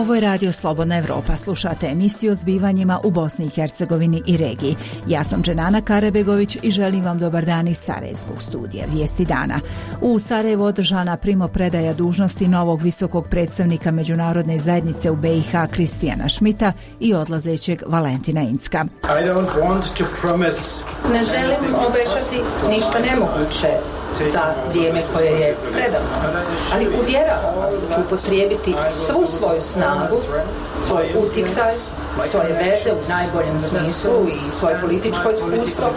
Ovo je Radio Slobodna Evropa. Slušate emisiju o zbivanjima u Bosni i Hercegovini i regiji. Ja sam Dženana Karebegović i želim vam dobar dan iz Sarajevskog studija. Vijesti dana. U Sarajevu održana primopredaja dužnosti novog visokog predstavnika međunarodne zajednice u BiH Kristijana Šmita i odlazećeg Valentina Incka. Ne želim obećati ništa nemoguće za vrijeme koje je predano, ali uvjeravam vas da ću upotrijebiti svu svoju snagu, svoj utjecaj, svoje veze u najboljem smislu i svoje političko iskustvo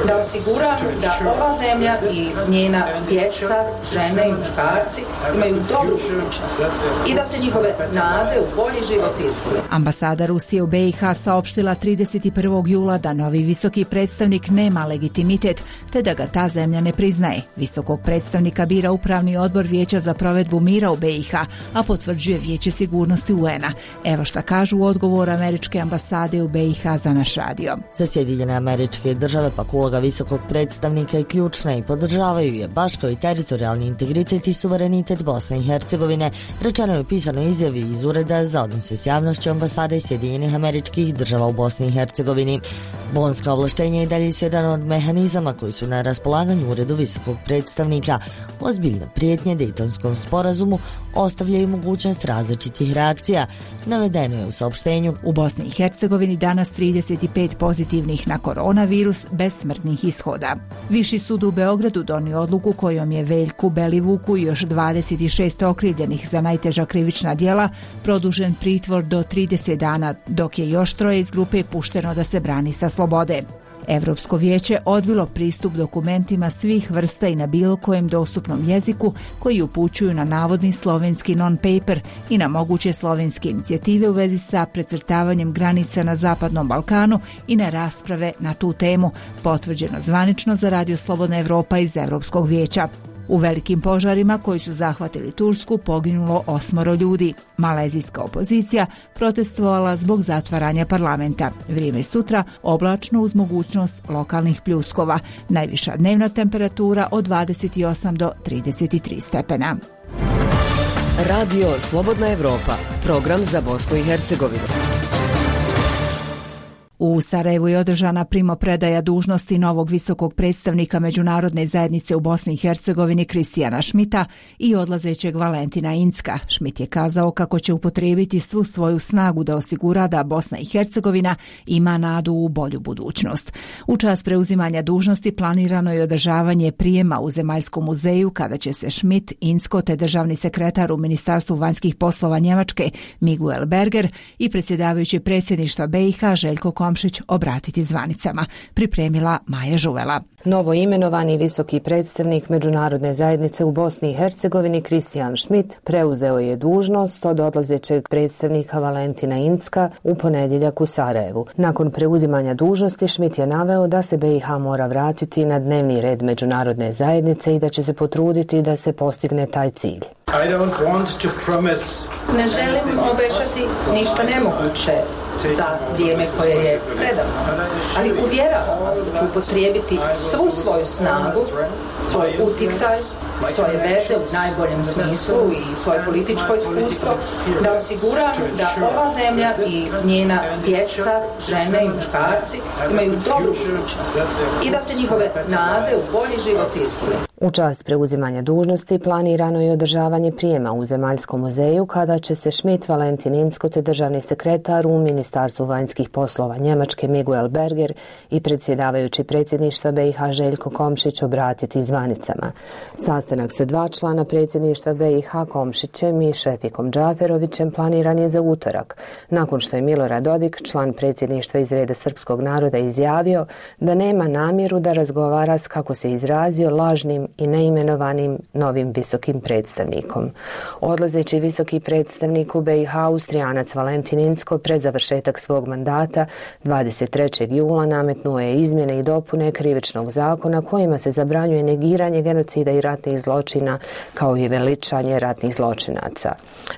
da osiguram da ova zemlja i njena djeca, žene i muškarci imaju dobru budućnost i da se njihove nade u bolji život ispune. Ambasada Rusije u BiH saopštila 31. jula da novi visoki predstavnik nema legitimitet te da ga ta zemlja ne priznaje. Visokog predstavnika bira Upravni odbor Vijeća za provedbu mira u BiH, a potvrđuje Vijeće sigurnosti UN-a. Evo šta kažu u odgovoru američke ambasade u BiH za naš radio. Za Sjedinjene Američke Države pak uloga visokog predstavnika je ključna i podržavaju je baš kao i teritorijalni integritet i suverenitet Bosne i Hercegovine, rečeno je u pisanoj izjavi iz Ureda za odnose s javnošću ambasade Sjedinjenih Američkih Država u Bosni i Hercegovini. Bonska ovlaštenja i dalje su jedan od mehanizama koji su na raspolaganju Uredu visokog predstavnika. Ozbiljne prijetnje Dejtonskom sporazumu ostavljaju mogućnost različitih reakcija. Navedeno je u saopštenju. U Bosni i Hercegovini danas 35 pozitivnih na koronavirus bez smrtnih ishoda. Viši sud u Beogradu donio odluku kojom je Veljku Belivuku i još 26 okrivljenih za najteža krivična djela produžen pritvor do 30 dana, dok je još 3 iz grupe pušteno da se brani sa slobode. Europsko vijeće odbilo pristup dokumentima svih vrsta i na bilo kojem dostupnom jeziku koji upućuju na navodni slovenski non-paper i na moguće slovenske inicijative u vezi sa precrtavanjem granica na Zapadnom Balkanu i na rasprave na tu temu, potvrđeno zvanično za Radio Slobodna Evropa iz Europskog vijeća. U velikim požarima koji su zahvatili Tursku poginulo 8 ljudi. Malezijska opozicija protestovala zbog zatvaranja parlamenta. Vrijeme sutra oblačno uz mogućnost lokalnih pljuskova. Najviša dnevna temperatura od 28 do 33 stepena. Radio Slobodna Evropa, program za Bosnu i Hercegovinu. U Sarajevu je održana primopredaja dužnosti novog visokog predstavnika međunarodne zajednice u Bosni i Hercegovini Kristijana Šmita i odlazećeg Valentina Incka. Šmit je kazao kako će upotrijebiti svu svoju snagu da osigura da Bosna i Hercegovina ima nadu u bolju budućnost. U čas preuzimanja dužnosti planirano je održavanje prijema u Zemaljskom muzeju kada će se Šmit, Incko te državni sekretar u Ministarstvu vanjskih poslova Njemačke Miguel Berger i predsjedavajući predsjedništva BiH Željko Komšić obratiti zvanicama. Pripremila Maja Žuvela. Novo imenovani visoki predstavnik međunarodne zajednice u Bosni i Hercegovini Kristijan Šmit preuzeo je dužnost od odlazećeg predstavnika Valentina Incka u ponedjeljak u Sarajevu. Nakon preuzimanja dužnosti Šmit je naveo da se BiH mora vratiti na dnevni red međunarodne zajednice i da će se potruditi da se postigne taj cilj. Ne želim obećati ništa nemoguće za vrijeme koje je predano, ali uvjeravam vas da ću upotrijebiti svu svoju snagu, svoj utjecaj, svoje veze u najboljem smislu i svoje političko iskustvo da osiguram da ova zemlja i njena djeca, žene i muškarci imaju dobru budućnost i da se njihove nade u bolji život ispune. U čast preuzimanja dužnosti planirano je održavanje prijema u Zemaljskom muzeju kada će se Šmit, Valentin Incko te državni sekretar u Ministarstvu vanjskih poslova Njemačke Miguel Berger i predsjedavajući predsjedništva BiH Željko Komšić obratiti zvanicama. Sastanak sa 2 člana predsjedništva BiH Komšićem i Šefikom Džaferovićem planiran je za utorak, nakon što je Milorad Dodik, član predsjedništva iz reda srpskog naroda, izjavio da nema namjeru da razgovara s, kako se izrazio, lažnim i neimenovanim novim visokim predstavnikom. Odlazeći visoki predstavnik u BiH Austrijanac Valentin Incko pred završetak svog mandata 23. jula nametnuo je izmjene i dopune krivičnog zakona kojima se zabranjuje negiranje genocida i ratnih zločina kao i veličanje ratnih zločinaca.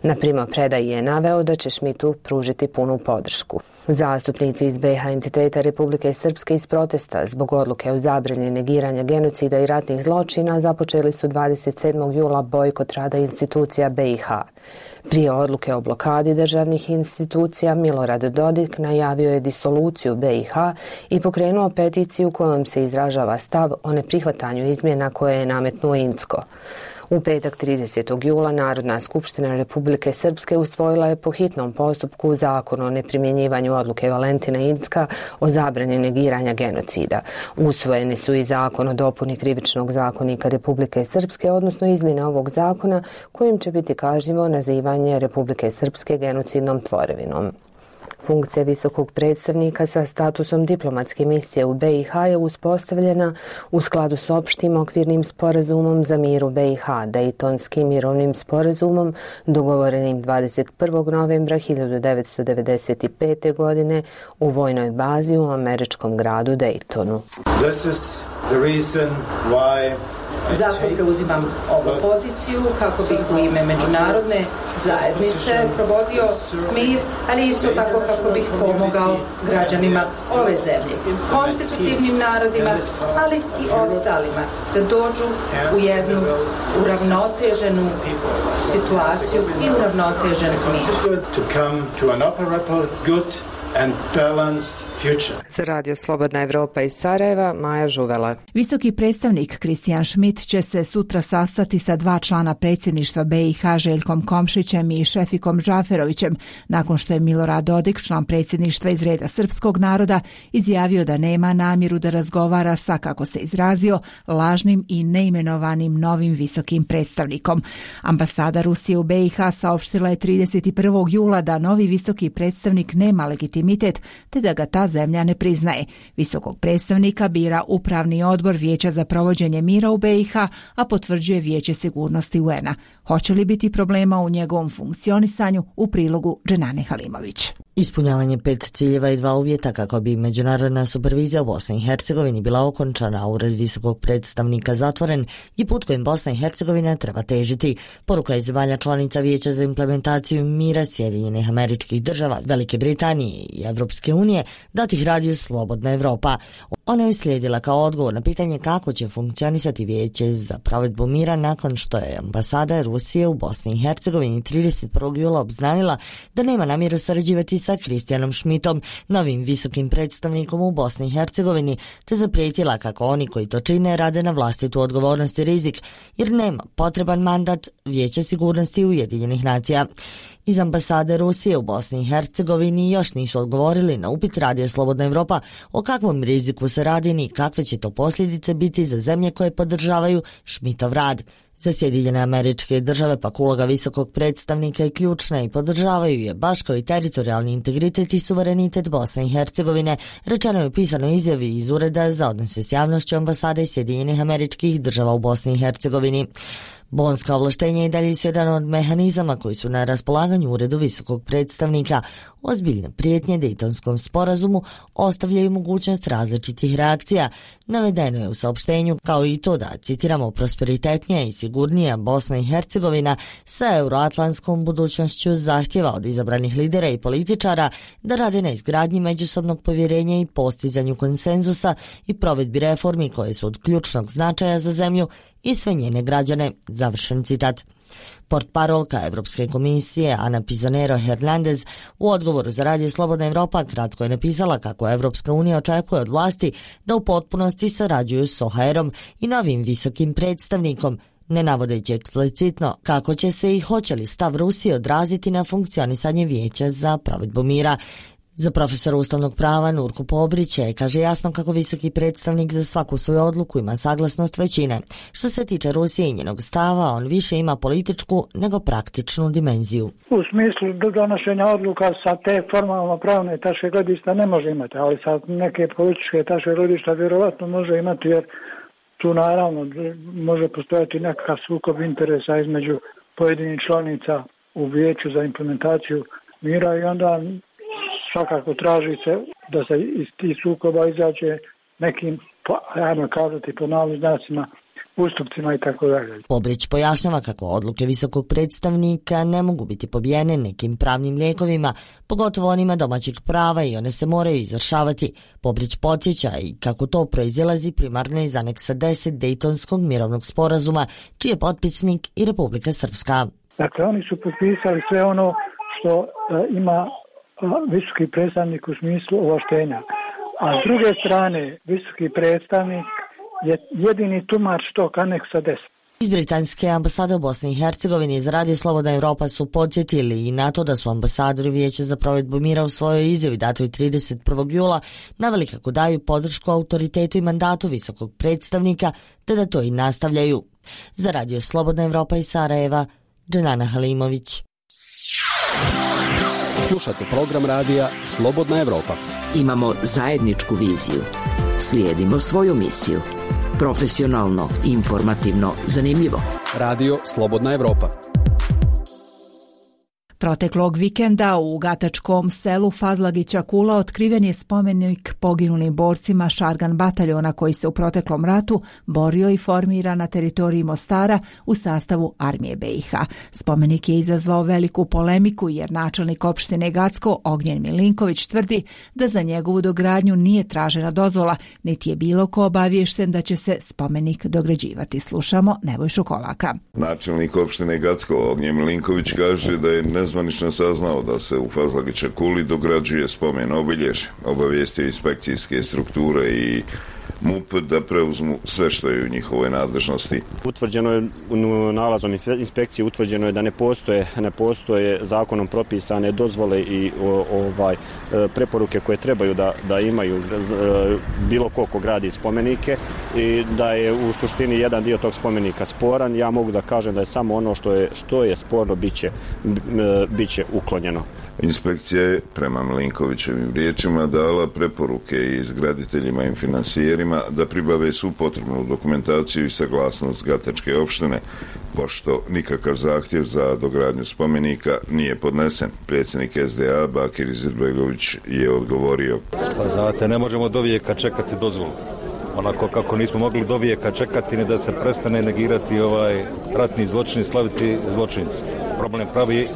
Na primopredaji je naveo da će Šmitu pružiti punu podršku. Zastupnici iz BiH entiteta Republike Srpske iz protesta zbog odluke o zabrani negiranja genocida i ratnih zločina započeli su 27. jula bojkot rada institucija BiH. Prije odluke o blokadi državnih institucija Milorad Dodik najavio je disoluciju BiH i pokrenuo peticiju kojom se izražava stav o neprihvatanju izmjena koje je nametnuo Incko. U petak 30. jula Narodna skupština Republike Srpske usvojila je po hitnom postupku zakon o neprimjenjivanju odluke Valentina Incka o zabrani negiranja genocida. Usvojeni su i zakon o dopuni Krivičnog zakonika Republike Srpske, odnosno izmjene ovog zakona kojim će biti kažnjivo nazivanje Republike Srpske genocidnom tvorevinom. Funkcija visokog predstavnika sa statusom diplomatske misije u BiH je uspostavljena u skladu s opštim okvirnim sporazumom za mir u BiH, Dejtonskim mirovnim sporazumom dogovorenim 21. novembra 1995. godine u vojnoj bazi u američkom gradu Dejtonu. Zato preuzimam ovu poziciju kako bih u ime međunarodne zajednice provodio mir, ali isto tako kako bih pomogao građanima ove zemlje, konstitutivnim narodima, ali i ostalima, da dođu u jednu uravnoteženu situaciju i uravnotežen mir. Za Radio Slobodna Evropa iz Sarajeva, Maja Žuvela. Visoki predstavnik Kristijan Schmidt će se sutra sastati sa 2 člana predsjedništva BiH Željkom Komšićem i Šefikom Džaferovićem, nakon što je Milorad Dodik, član predsjedništva iz reda srpskog naroda, izjavio da nema namjeru da razgovara sa, kako se izrazio, lažnim i neimenovanim novim visokim predstavnikom. Ambasada Rusije u BiH saopštila je 31. jula da novi visoki predstavnik nema legitimitet, te da ga ta zemlja ne priznaje. Visokog predstavnika bira Upravni odbor Vijeća za provođenje mira u BiH, a potvrđuje Vijeće sigurnosti UN-a. Hoće li biti problema u njegovom funkcionisanju? U prilogu Dženane Halimović. Ispunjavanje 5 ciljeva i 2 uvjeta kako bi međunarodna supervizija u Bosni i Hercegovini bila okončana, a ured visokog predstavnika zatvoren i put kojim Bosna i Hercegovina treba težiti. Poruka je zemalja članica Vijeća za implementaciju mira Sjedinjenih Američkih Država, Velike Britanije i Evropske unije, dati ih Radio Slobodna Evropa. Ona je uslijedila kao odgovor na pitanje kako će funkcionisati Vijeće za provedbu mira nakon što je ambasada Rusije u Bosni i Hercegovini 31. jula obznanila da nema namjeru sarađivati sa Kristijanom Schmidtom, novim visokim predstavnikom u Bosni i Hercegovini, te zaprijetila kako oni koji to čine rade na vlastitu odgovornost i rizik, jer nema potreban mandat Vijeća sigurnosti Ujedinjenih nacija. Iz ambasade Rusije u Bosni i Hercegovini još nisu odgovorili na upit Radija Slobodna Evropa o kakvom riziku se radi ni kakve će to posljedice biti za zemlje koje podržavaju Schmidtov rad. Za Sjedinjene Američke Države pak uloga visokog predstavnika i ključna i podržavaju je baš kao i teritorijalni integritet i suverenitet Bosne i Hercegovine, rečeno je u pisanoj izjavi iz Ureda za odnose s javnošću ambasade Sjedinjenih Američkih Država u Bosni i Hercegovini. Bonska ovlaštenja i dalje su jedan od mehanizama koji su na raspolaganju Uredu visokog predstavnika. Ozbiljne prijetnje Dejtonskom sporazumu ostavljaju mogućnost različitih reakcija. Navedeno je u saopštenju, kao i to da, citiramo, prosperitetnija i sigurnija Bosna i Hercegovina sa euroatlantskom budućnošću zahtjeva od izabranih lidera i političara da rade na izgradnji međusobnog povjerenja i postizanju konsenzusa i provedbi reformi koje su od ključnog značaja za zemlju i sve njene građane. Završen citat. Portparolka Evropske komisije Ana Pizonero Hernandez u odgovoru za Radio Slobodna Evropa kratko je napisala kako Evropska unija očekuje od vlasti da u potpunosti sarađuju s OHR-om i novim visokim predstavnikom, ne navodeći eksplicitno kako će se i hoće li stav Rusije odraziti na funkcionisanje Vijeća za provedbu mira. Za profesora ustavnog prava Nurku Pobrića kaže jasno kako visoki predstavnik za svaku svoju odluku ima saglasnost većine. Što se tiče Rusije i njenog stava, on više ima političku nego praktičnu dimenziju. U smislu donošenja odluka sa te formalno pravne tačke gledišta ne može imati, ali sa neke političke tačke gledišta vjerovatno može imati, jer tu naravno može postojati nekakav sukob interesa između pojedinih članica u Vijeću za implementaciju mira i onda svakako traži se da se iz tih sukoba izađe nekim, ajmo kazati po navodnim znacima, ustupcima i tako dalje. Pobrić pojašnjava kako odluke visokog predstavnika ne mogu biti pobijene nekim pravnim lijekovima, pogotovo onima domaćeg prava i one se moraju izvršavati. Pobrić podsjeća i kako to proizilazi primarno iz aneksa 10 Dejtonskog mirovnog sporazuma, čiji je potpisnik i Republika Srpska. Dakle, oni su potpisali sve ono što ima visoki predstavnik u smislu ovlaštenja. A s druge strane, visoki predstavnik je jedini tumač tog aneksa 10. Iz britanske ambasade u Bosni i Hercegovini iz Radio Slobodna Evropa su podsjetili i na to da su ambasadori Vijeća za provedbu mira u svojoj izjavi datoj 31. jula naveli kako daju podršku autoritetu i mandatu visokog predstavnika, te da to i nastavljaju. Za Radio Slobodna Evropa iz Sarajeva, Dženana Halimović. Slušate program radija Slobodna Evropa. Imamo zajedničku viziju. Slijedimo svoju misiju. Profesionalno, informativno, zanimljivo. Radio Slobodna Evropa. Proteklog vikenda u gatačkom selu Fazlagića Kula otkriven je spomenik poginulim borcima Šargan bataljona koji se u proteklom ratu borio i formira na teritoriji Mostara u sastavu armije BiH. Spomenik je izazvao veliku polemiku jer načelnik opštine Gacko Ognjen Milinković tvrdi da za njegovu dogradnju nije tražena dozvola, niti je bilo ko obaviješten da će se spomenik dograđivati. Slušamo Nebojšu Kolaka. Načelnik opštine Gacko Ognjen Milinković kaže da je nezvanično saznao da se u Fazlagića Kuli dograđuje spomen obilježja. Obavijestio inspekcijske strukture i MUP da preuzmu sve što je u njihovoj nadležnosti. Utvrđeno je nalazom inspekcije utvrđeno je da ne postoje zakonom propisane dozvole i preporuke koje trebaju da imaju bilo ko gradi spomenike i da je u suštini jedan dio tog spomenika sporan. Ja mogu da kažem da je samo ono što je sporno biće uklonjeno. Inspekcija je, prema Milinkovićevim riječima, dala preporuke izgraditeljima i finansijerima da pribave svu potrebnu dokumentaciju i saglasnost Gatačke opštine, pošto nikakav zahtjev za dogradnju spomenika nije podnesen. Predsjednik SDA Bakir Izetbegović je odgovorio: Pa znate, ne možemo do vijeka čekati dozvolu. Onako kako nismo mogli do vijeka čekati ni da se prestane negirati ratni zločin i slaviti zločinci. Problem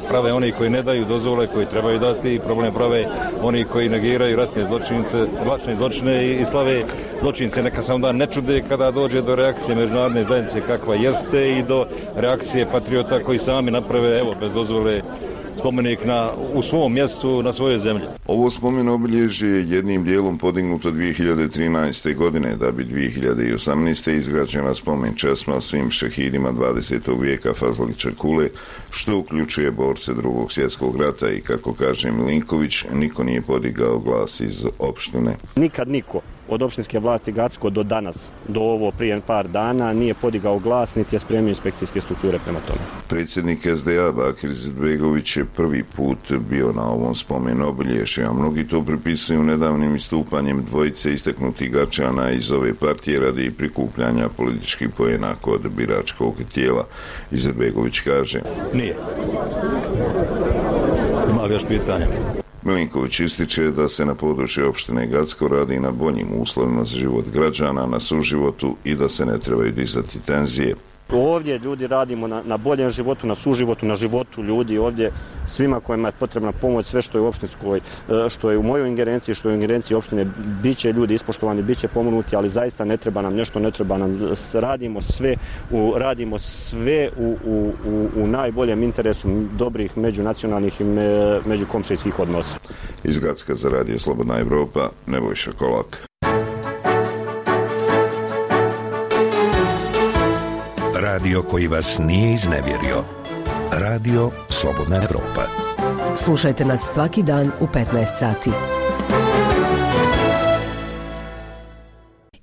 prave oni koji ne daju dozvole, koji trebaju dati, i problem prave oni koji negiraju ratne zločine i slave zločince. Neka se onda ne čude kada dođe do reakcije međunarodne zajednice kakva jeste i do reakcije patriota koji sami naprave, bez dozvole, spomenik u svom mjestu, na svojoj zemlji. Ovo spomen obilježje je jednim dijelom podignuto 2013. godine, da bi 2018. izgrađena spomen česma svim šehidima 20. vijeka Fazlagića Kule, što uključuje borce Drugog svjetskog rata i, kako kaže Milinković, niko nije podigao glas iz opštine. Nikad niko od opštinske vlasti Gacko do danas, do ovo prije par dana, nije podigao glas, niti je spremio inspekcijske strukture prema tome. Predsjednik SDA Bakir Izetbegović je prvi put bio na ovom spomenu obilježja, a mnogi to pripisuju nedavnim istupanjem dvojice istaknutih Gačana iz ove partije radi prikupljanja političkih poena kod biračkog tijela. Izetbegović kaže: Nije. Ima li još pitanja? Milinković ističe da se na području opštine Gacko radi na boljim uslovima za život građana, na suživotu i da se ne trebaju dizati tenzije. Ovdje ljudi radimo na boljem životu, na suživotu, na životu ljudi ovdje, svima kojima je potrebna pomoć, sve što je u opštinskoj, što je u mojoj ingerenciji, što je u ingerenciji opštine, bit će ljudi ispoštovani, bit će pomonuti, ali zaista ne treba nam nešto, ne treba nam, radimo sve u najboljem interesu dobrih međunacionalnih i međukomšijskih odnosa. Iz Gacka za Radio Slobodna Evropa, Nebojša Kolak. Radio koji vas nije iznevjerio. Radio Slobodna Evropa. Slušajte nas svaki dan u 15 sati.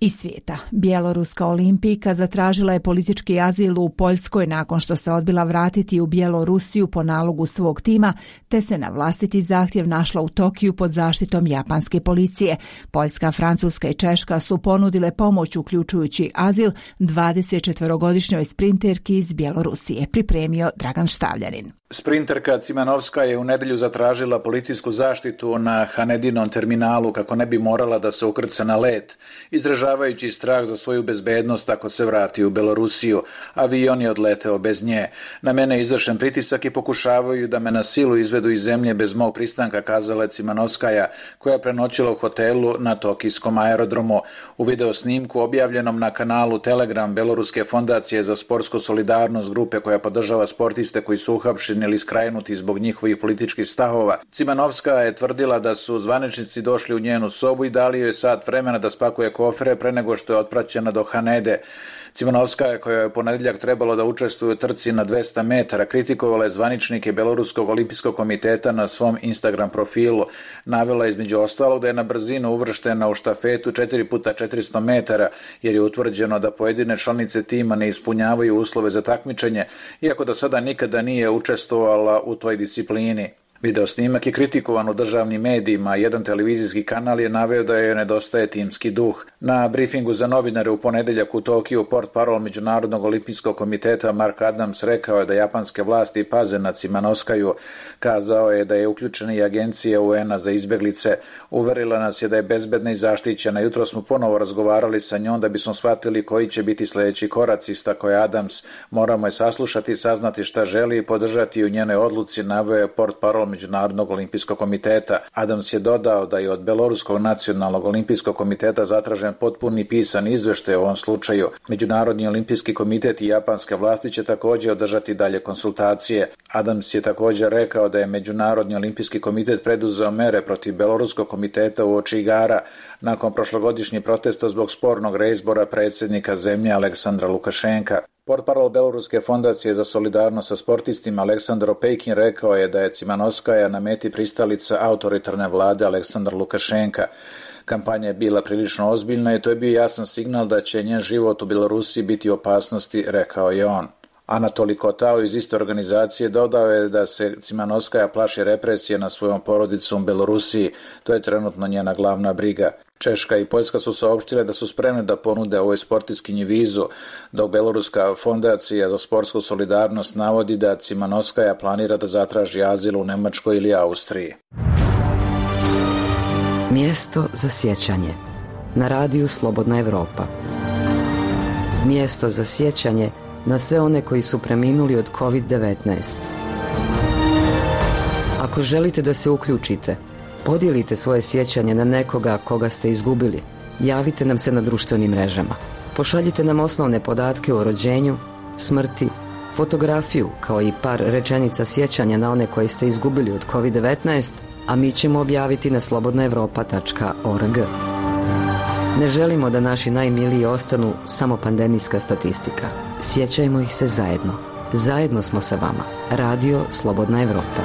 Iz svijeta. Bjeloruska olimpijka zatražila je politički azil u Poljskoj nakon što se odbila vratiti u Bjelorusiju po nalogu svog tima, te se na vlastiti zahtjev našla u Tokiju pod zaštitom japanske policije. Poljska, Francuska i Češka su ponudile pomoć uključujući azil 24-godišnjoj sprinterki iz Bjelorusije, pripremio Dragan Štavljanin. Sprinterka Cimanovska je u nedjelju zatražila policijsku zaštitu na Hanedinom terminalu kako ne bi morala da se ukrca na let, izražavajući strah za svoju bezbednost ako se vrati u Belorusiju. Avion je odleteo bez nje. Na mene je izvršen pritisak i pokušavaju da me na silu izvedu iz zemlje bez mog pristanka, kazala je Cimanovskaja, koja je prenoćila u hotelu na tokijskom aerodromu. U video snimku objavljenom na kanalu Telegram Beloruske fondacije za sportsku solidarnost, grupe koja podržava sportiste koji su uhapšeni ili skrajnuti zbog njihovih političkih stavova, Cimanovska je tvrdila da su zvaničnici došli u njenu sobu i dali joj sat vremena da spakuje kofere pre nego što je otpraćena do Hanede. Cimanovska, koja je u ponedjeljak trebalo da učestvuje u trci na 200 metara, kritikovala je zvaničnike Beloruskog olimpijskog komiteta na svom Instagram profilu. Navela između ostalog da je na brzinu uvrštena u štafetu 4x400 metara, jer je utvrđeno da pojedine članice tima ne ispunjavaju uslove za takmičenje, iako do sada nikada nije učestvovala u toj disciplini. Video snimak je kritikovan u državnim medijima, jedan televizijski kanal je naveo da joj nedostaje timski duh. Na brifingu za novinare u ponedjeljak u Tokiju portparol Međunarodnog olimpijskog komiteta Mark Adams rekao je da japanske vlasti paze na Cimanovskaju. Kazao je da je uključena i agencija UN-a za izbjeglice. Uverila nas je da je bezbedna i zaštićena. Jutro smo ponovo razgovarali sa njom da bismo shvatili koji će biti sljedeći koraci, istakao je Adams. Moramo je saslušati, saznati šta želi i podržati u njenoj odluci, naveo je portparol Međunarodnog olimpijskog komiteta. Adams je dodao da je od Beloruskog nacionalnog olimpijskog komiteta zatražen potpuni pisan izveštaj u ovom slučaju. Međunarodni olimpijski komitet i japanske vlasti će također održati dalje konsultacije. Adams je također rekao da je Međunarodni olimpijski komitet preduzeo mere protiv Beloruskog komiteta uoči igara nakon prošlogodišnjih protesta zbog spornog reizbora predsjednika zemlje Aleksandra Lukašenka. Portparol Beloruske fondacije za solidarnost sa sportistima Aleksandar Opejkin rekao je da je Cimanovskaja na meti pristalica autoritarne vlade Aleksandra Lukašenka. Kampanja je bila prilično ozbiljna i to je bio jasan signal da će njen život u Belorusiji biti u opasnosti, rekao je on. Anatoli Kotao iz iste organizacije dodao je da se Cimanovskaja plaši represije na svojom porodicom u Belorusiji. To je trenutno njena glavna briga. Češka i Poljska su saopštile da su spremne da ponude ovoj sportistkinji vizu, dok Beloruska fondacija za sportsku solidarnost navodi da Cimanovskaja planira da zatraži azil u Nemačkoj ili Austriji. Mjesto za sjećanje na radiju Slobodna Evropa. Mjesto za sjećanje na sve one koji su preminuli od COVID-19. Ako želite da se uključite, podijelite svoje sjećanje na nekoga koga ste izgubili. Javite nam se na društvenim mrežama. Pošaljite nam osnovne podatke o rođenju, smrti, fotografiju kao i par rečenica sjećanja na one koje ste izgubili od COVID-19, a mi ćemo objaviti na slobodnaevropa.org. Ne želimo da naši najmiliji ostanu samo pandemijska statistika. Sjećajmo ih se zajedno. Zajedno smo sa vama. Radio Slobodna Evropa.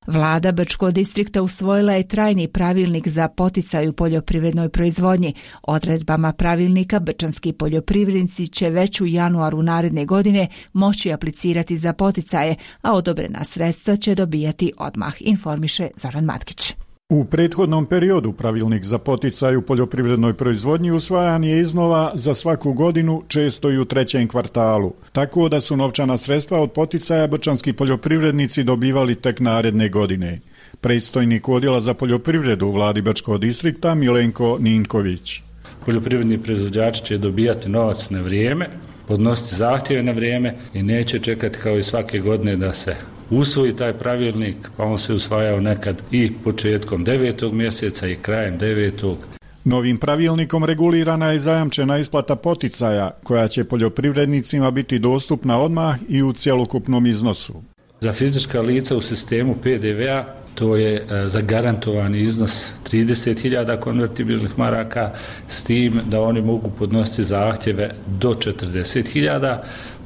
Vlada Brčkog distrikta usvojila je trajni pravilnik za poticaj u poljoprivrednoj proizvodnji. Odredbama pravilnika brčanski poljoprivrednici će već u januaru naredne godine moći aplicirati za poticaje, a odobrena sredstva će dobijati odmah, informiše Zoran Matkić. U prethodnom periodu pravilnik za poticaj u poljoprivrednoj proizvodnji usvajan je iznova za svaku godinu, često i u trećem kvartalu, tako da su novčana sredstva od poticaja brčanski poljoprivrednici dobivali tek naredne godine. Predstojnik odjela za poljoprivredu u vladi Brčkog distrikta Milenko Ninković. Poljoprivredni proizvođači će dobijati novac na vrijeme, podnositi zahtjeve na vrijeme i neće čekati kao i svake godine da se usvoji taj pravilnik, pa on se usvajao nekad i početkom 9. mjeseca i krajem 9. Novim pravilnikom regulirana je zajamčena isplata poticaja, koja će poljoprivrednicima biti dostupna odmah i u cjelokupnom iznosu. Za fizička lica u sistemu PDV-a to je zagarantovani iznos 30.000 konvertibilnih maraka, s tim da oni mogu podnositi zahtjeve do 40.000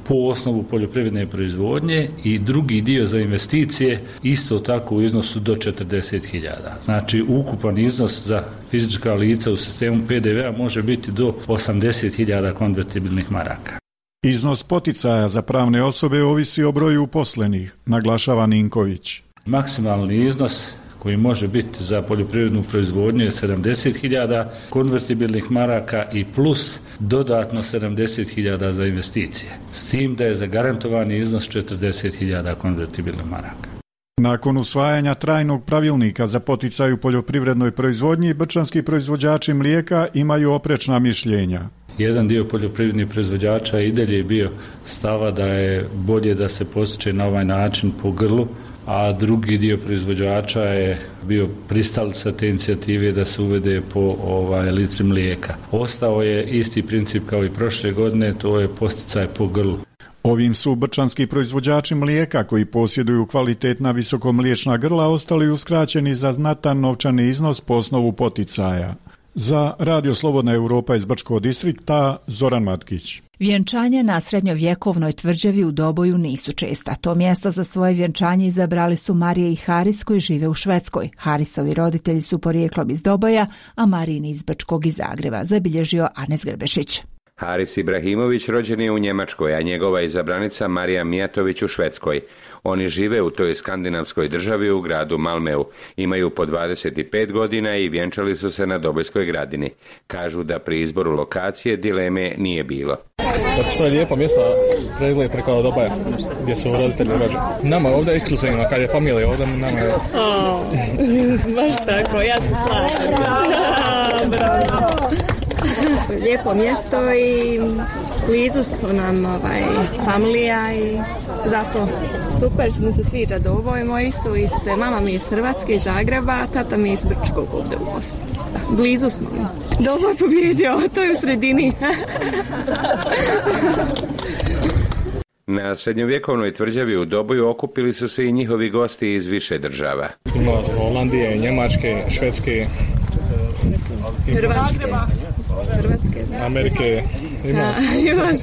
po osnovu poljoprivredne proizvodnje i drugi dio za investicije isto tako u iznosu do 40.000. Znači ukupan iznos za fizička lica u sistemu PDV-a može biti do 80.000 konvertibilnih maraka. Iznos poticaja za pravne osobe ovisi o broju uposlenih, naglašava Ninković. Maksimalni iznos koji može biti za poljoprivrednu proizvodnju je 70.000 konvertibilnih maraka i plus dodatno 70.000 za investicije. S tim da je zagarantovani iznos 40.000 konvertibilnih maraka. Nakon usvajanja trajnog pravilnika za poticaj u poljoprivrednoj proizvodnji, brčanski proizvođači mlijeka imaju oprečna mišljenja. Jedan dio poljoprivrednih proizvođača i dalje je bio stava da je bolje da se postiče na ovaj način po grlu, a drugi dio proizvođača je bio pristalica te inicijative da se uvede po litri mlijeka. Ostao je isti princip kao i prošle godine, to je posticaj po grlu. Ovim su brčanski proizvođači mlijeka koji posjeduju kvalitetna visokomliječna grla ostali uskraćeni za znatan novčani iznos po osnovu poticaja. Za Radio Slobodna Europa iz Brčkog distrikta, Zoran Matkić. Vjenčanja na srednjovjekovnoj tvrđavi u Doboju nisu česta. To mjesto za svoje vjenčanje izabrali su Marija i Haris koji žive u Švedskoj. Harisovi roditelji su porijeklom iz Doboja, a Marijini iz Brčkog i Zagreba, zabilježio Anes Grbešić. Haris Ibrahimović rođen je u Njemačkoj, a njegova izabranica Marija Mijatović u Švedskoj. Oni žive u toj skandinavskoj državi u gradu Malmeu. Imaju po 25 godina i vjenčali su se na Dobojskoj gradini. Kažu da pri izboru lokacije dileme nije bilo. Zato što je lijepo mjesto pregled preko Dobaja, gdje su roditelji rođeni. Nama ovdje je ekskluzivno, kad je familija ovdje, nama je... Baš tako, ja se slažem. Bravo. Lijepo mjesto i blizu su nam familija i zato super mi se sviđa Doboj. Moji su mama mi je iz Hrvatske, iz Zagreba, a tata mi je iz Brčkog ovdje u Bosni. Blizu smo mi. Doboj pobjedio, to je u sredini. Na srednjovjekovnoj tvrđavi u Doboju okupili su se i njihovi gosti iz više država. Imala iz Holandije, Njemačke, Švedske, Hrvatske, da. Amerike, ima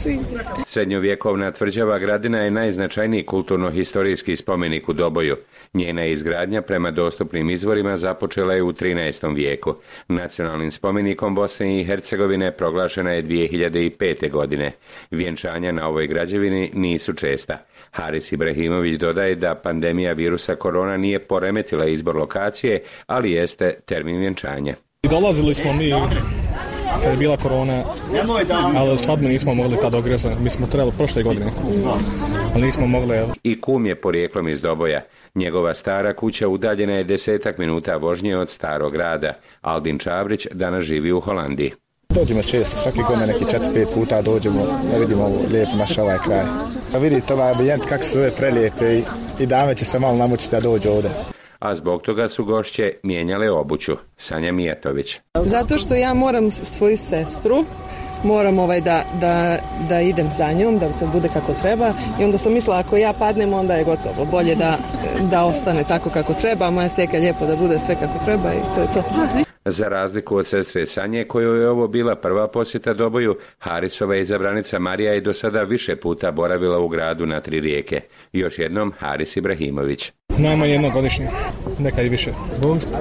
svi. Srednjovjekovna tvrđava Gradina je najznačajniji kulturno-historijski spomenik u Doboju. Njena izgradnja prema dostupnim izvorima započela je u 13. vijeku. Nacionalnim spomenikom Bosne i Hercegovine proglašena je 2005. godine. Vjenčanja na ovoj građevini nisu česta. Haris Ibrahimović dodaje da pandemija virusa korona nije poremetila izbor lokacije, ali jeste termin vjenčanja. Dolazili smo mi kad je bila korona, ali svadbe nismo mogli tad ogrezati. Mi smo trebali prošle godine, ali nismo mogli. I kum je porijeklom iz Doboja. Njegova stara kuća udaljena je 10 minuta vožnje od starog grada. Aldin Čabrić danas živi u Holandiji. Dođemo često, svaki godine neki 4-5 puta dođemo, da vidimo ovo lijepo naš ovaj kraj. Pa vidite ovaj ambijent kako su ove prelijepe i dame će se malo namučiti da dođu ovdje. A zbog toga su gošće mijenjale obuću. Sanja Mijatović. Zato što ja moram svoju sestru, moram da idem za njom, da to bude kako treba i onda sam mislila ako ja padnem onda je gotovo. Bolje da ostane tako kako treba, moja seka je lijepo da bude sve kako treba i to je to. Za razliku od sestre Sanje, kojoj je ovo bila prva posjeta Doboju, Harisova izabranica Marija je do sada više puta boravila u gradu na 3 rijeke. Još jednom Haris Ibrahimović. Najmanje jednogodišnje, nekad i više.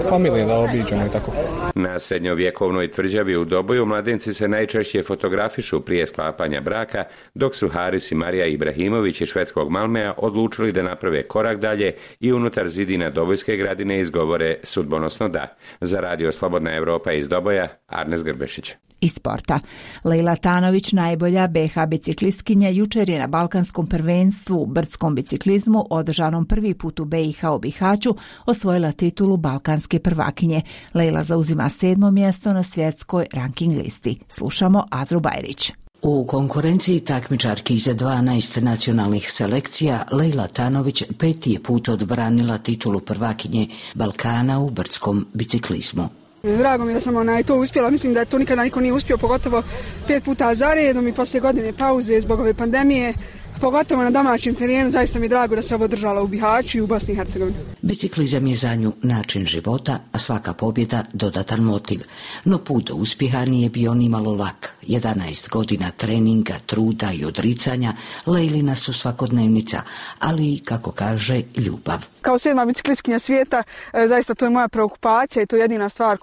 Familije da obiđemo i tako. Na srednjovjekovnoj tvrđavi u Doboju mladenci se najčešće fotografišu prije sklapanja braka, dok su Haris i Marija Ibrahimović iz švedskog Malmea odlučili da naprave korak dalje i unutar zidina Dobojske gradine izgovore sudbonosno da. Za Radio Slobodna Europa iz Doboja, Arnes Grbešić. Iz sporta. Lejla Tanović, najbolja BiH biciklistkinja, jučer je na Balkanskom prvenstvu u brdskom biciklizmu, održanom prvi put u BiH u Bihaću, osvojila titulu balkanske prvakinje. Lejla zauzima 7. mjesto na svjetskoj ranking listi. Slušamo Azru Bajrić. U konkurenciji takmičarki za 12 nacionalnih selekcija Lejla Tanović 5. put odbranila titulu prvakinje Balkana u brdskom biciklizmu. Drago mi da sam to uspjela, mislim da to nikada niko nije uspio, pogotovo 5 puta za redom i poslije godine pauze zbog ove pandemije. Pogotovo na domaćem terenu, zaista mi je drago da se ovo održala u Bihaću i u Bosni i Hercegovini. Biciklizam je za nju način života, a svaka pobjeda dodatan motiv. No put do uspjeha nije bio nimalo lak. 11 godina treninga, truda i odricanja Lejlina su svakodnevnica, ali i, kako kaže, ljubav. Kao 7. biciklistkinja svijeta, zaista to je moja preokupacija i to je jedina stvar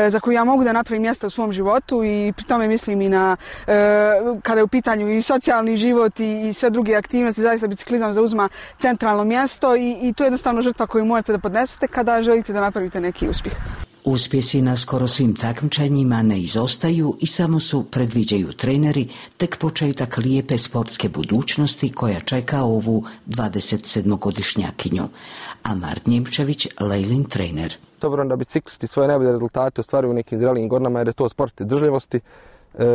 za koju ja mogu da napravim mjesta u svom životu i pri tome mislim i na kada je u pitanju i socijalni život i sve druge aktivnosti, zaista biciklizam zauzima centralno mjesto i to je jednostavno žrtva koju morate da podnesete kada želite da napravite neki uspjeh. Uspjesi na skoro svim takmičenjima ne izostaju i samo su, predviđaju treneri, tek početak lijepe sportske budućnosti koja čeka ovu 27-godišnjakinju. Amar Njemčević, Lejlin trener. Dobro da biciklisti svoje najbolje rezultate ostvaruju u nekim zrelijim godinama jer je to sport izdržljivosti.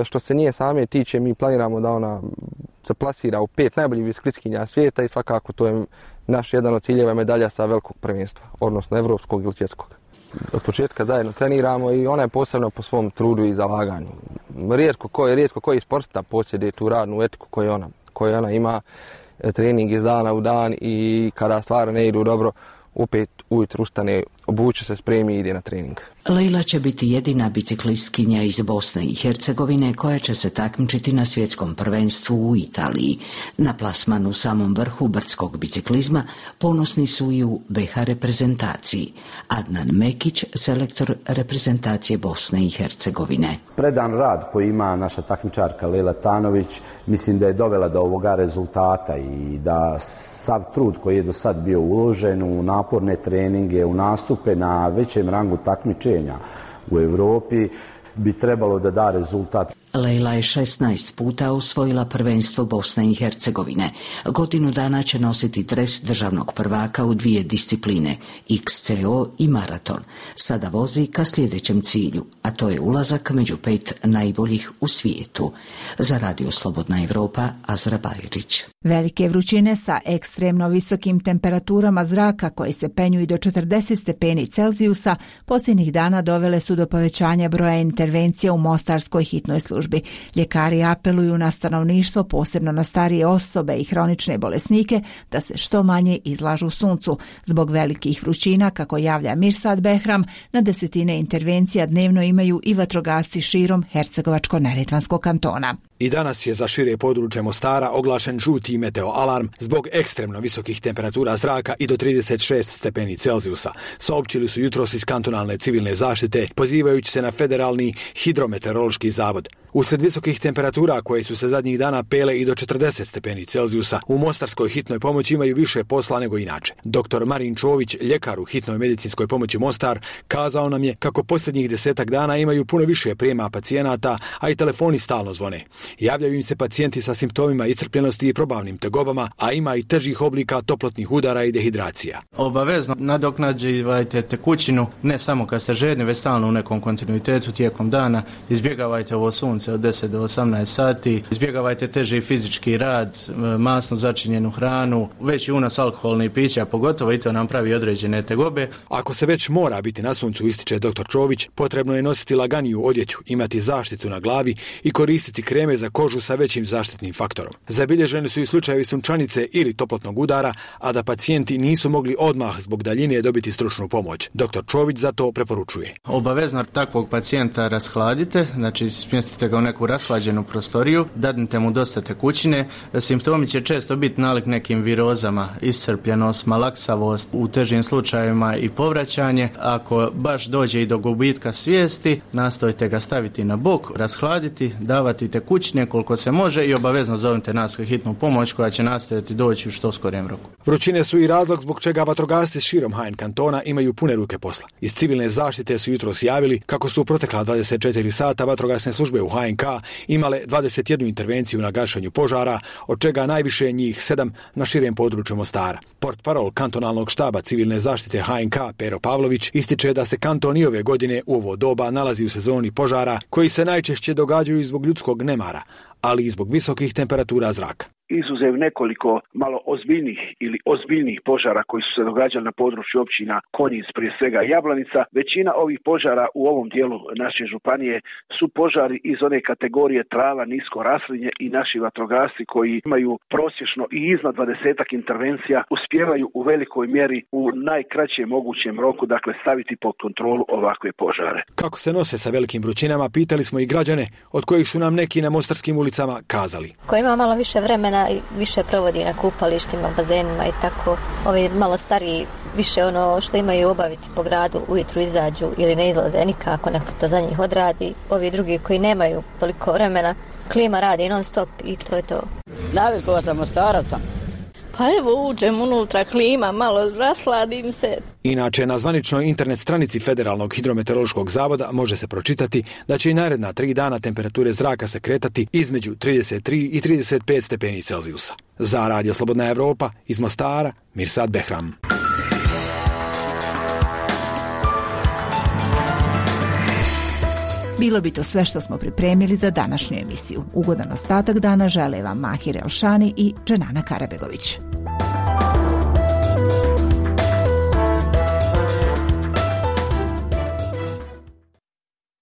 Što se nije same tiče, mi planiramo da ona se plasira u 5 najboljih biciklistkinja svijeta i svakako to je naš jedan od ciljeva medalja sa velikog prvenstva, odnosno evropskog ili svjetskog. Od početka zajedno treniramo i ona je posebno po svom trudu i zalaganju. Rijetko koji sportista posjeduje tu radnu etiku koju ona ima, trening iz dana u dan i kada stvari ne idu dobro, opet ujutro ustane, obuče se, spremi i ide na trening. Lejla će biti jedina biciklistkinja iz Bosne i Hercegovine koja će se takmičiti na svjetskom prvenstvu u Italiji. Na plasmanu u samom vrhu brdskog biciklizma ponosni su i u BiH reprezentaciji. Adnan Mekić, selektor reprezentacije Bosne i Hercegovine. Predan rad koji ima naša takmičarka Lejla Tanović, mislim da je dovela do ovoga rezultata i da sav trud koji je do sad bio uložen u naporne treninge, u nastupe na većem rangu takmičenja u Europi bi trebalo da da rezultat. Lejla je 16 puta osvojila prvenstvo Bosne i Hercegovine. Godinu dana će nositi dres državnog prvaka u 2 discipline, XCO i maraton. Sada vozi ka sljedećem cilju, a to je ulazak među 5 najboljih u svijetu. Za Radio Slobodna Evropa, Azra Bajrić. Velike vrućine sa ekstremno visokim temperaturama zraka koje se penju i do 40 stepeni Celzijusa posljednjih dana dovele su do povećanja broja intervencija u mostarskoj hitnoj službi. Ljekari apeluju na stanovništvo, posebno na starije osobe i hronične bolesnike, da se što manje izlažu suncu. Zbog velikih vrućina, kako javlja Mirsad Behram, na desetine intervencija dnevno imaju i vatrogasci širom Hercegovačko-neretvanskog kantona. I danas je za šire područje Mostara oglašen žuti meteo alarm zbog ekstremno visokih temperatura zraka i do 36 stepeni Celzijusa. Saopćili su jutros iz kantonalne civilne zaštite, pozivajući se na Federalni hidrometeorološki zavod. Usred visokih temperatura koje su se zadnjih dana pele i do 40 stepeni Celzijusa, u mostarskoj hitnoj pomoći imaju više posla nego inače. Dr. Marin Čović, ljekar u hitnoj medicinskoj pomoći Mostar, kazao nam je kako posljednjih 10 dana imaju puno više prijema pacijenata, a i telefoni stalno zvone. Javljaju im se pacijenti sa simptomima iscrpljenosti i probavnim tegobama, a ima i težih oblika toplotnih udara i dehidracija. Obavezno nadoknađivajte tekućinu, ne samo kad ste žedni, već stalno u nekom kontinuitetu tijekom dana. Izbjegavajte ovo sunce od 10 do 18 sati, izbjegavajte teži fizički rad, masno začinjenu hranu, veći unos alkoholnih pića, pogotovo i to nam pravi određene tegobe. Ako se već mora biti na suncu, ističe dr. Čović, potrebno je nositi laganiju odjeću, imati zaštitu na glavi i koristiti kreme za kožu sa većim zaštitnim faktorom. Zabilježeni su i slučajevi sunčanice ili toplotnog udara, a da pacijenti nisu mogli odmah zbog daljine dobiti stručnu pomoć. Dr. Čović zato preporučuje. Obavezno takvog pacijenta rashladite, znači smjestite ga u neku rashlađenu prostoriju, dadnite mu dosta tekućine. Simptomi će često biti nalik nekim virozama, iscrpljenost, malaksavost, u težim slučajevima i povraćanje. Ako baš dođe i do gubitka svijesti, nastojte ga staviti na bok, rashladiti, davati tekućine koliko se može i obavezno zovite nas hitnu pomoć koja će nastojati doći u što skorijem roku. Vrućine su i razlog zbog čega vatrogasci širom HN kantona imaju pune ruke posla. Iz civilne zaštite su jutros javili kako su u protekla 24 sata vatrogasne službe u HNK imale 21 intervenciju na gašenju požara, od čega najviše njih 7 na širem području Mostara. Portparol kantonalnog štaba civilne zaštite HNK Pero Pavlović ističe da se kanton i ove godine u ovo doba nalazi u sezoni požara koji se najčešće događaju zbog ljudskog nemara, ali i zbog visokih temperatura zraka. Izuzev nekoliko malo ozbiljnih požara koji su se događali na području općina Konjic, prije svega Jablanica, većina ovih požara u ovom dijelu naše županije su požari iz one kategorije trava, nisko raslinje i naši vatrogasci koji imaju prosječno i iznad 20-ak intervencija uspijevaju u velikoj mjeri u najkraćem mogućem roku, dakle staviti pod kontrolu ovakve požare. Kako se nose sa velikim vrućinama, pitali smo i građane, od kojih su nam neki na mostarskim ulicama kazali. Ko ima malo više vremena i više provodi na kupalištima, bazenima i tako. Ovi malo stariji više ono što imaju obaviti po gradu, ujutru izađu ili ne izlaze nikako, neko to za njih odradi. Ovi drugi koji nemaju toliko vremena, klima radi non stop i to je to. Navikao sam Mostaraca. Pa evo uđem unutra, klima, malo rasladim se. Inače, na zvaničnoj internet stranici Federalnog hidrometeorološkog zavoda može se pročitati da će i naredna 3 dana temperature zraka se kretati između 33 i 35 stepeni Celzijusa. Za Radio Slobodna Evropa iz Mostara, Mirsad Behram. Bilo bi to sve što smo pripremili za današnju emisiju. Ugodan ostatak dana žele vam Mahir Elšani i Dženana Karabegović.